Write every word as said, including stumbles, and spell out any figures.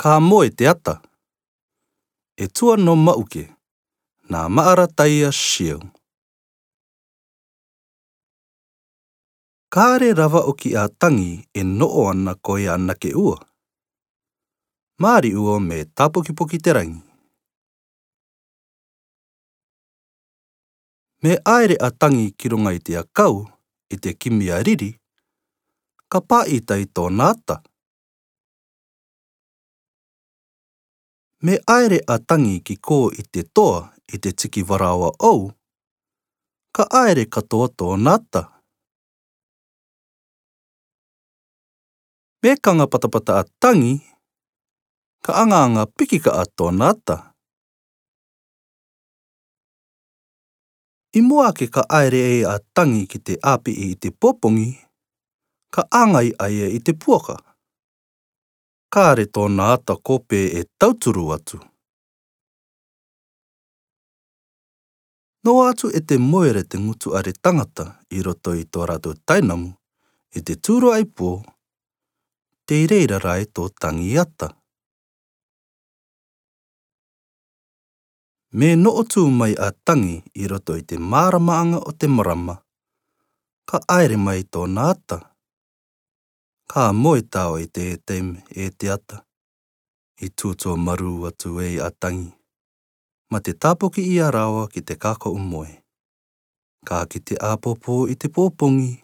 Ka moe te ata. E tua nō Ma'uke, nā Ma'arataia Siu. Ka are rava 'o ki a Tangi e no'o ana ko e anake ua. Māri ua mē tāpokipoki te rangi. Mē 'aere a Tangi ki ruŋa i te akau, i te kimi a riri, ka pā'i tai tōna ata. Mē 'aere a Tangi ki kō i te toa, i te tiki varaoa 'ou, ka 'aere katoa tōna ata. Mē kaŋa patapata a Tangi, ka aŋa-aŋa piki ka'a tōna ata. I mua ake ka 'aere 'ē a Tangi ki te 'āpi'i i te pōpoŋi, ka aŋa i a ia i te puaka. Ka are tōna ata ko pē e tauturu atu. Nō atu e te moe ra te ŋutu are taŋata i roto i tō rātou tainamu, i te tūrua'i pō, tei reira rā e tō Tangi ata. Mē no'o tū mai a Tangi i roto i te māramaaŋa o te marama, ka 'aere mai tōna ata. Ka moe tao i te taime e te ata, i tūtua marū atu e a Tangi, mā te tāpoki ia rāua ki te kāko'u moe. Ka kite 'āpōpō i te pōpoŋi,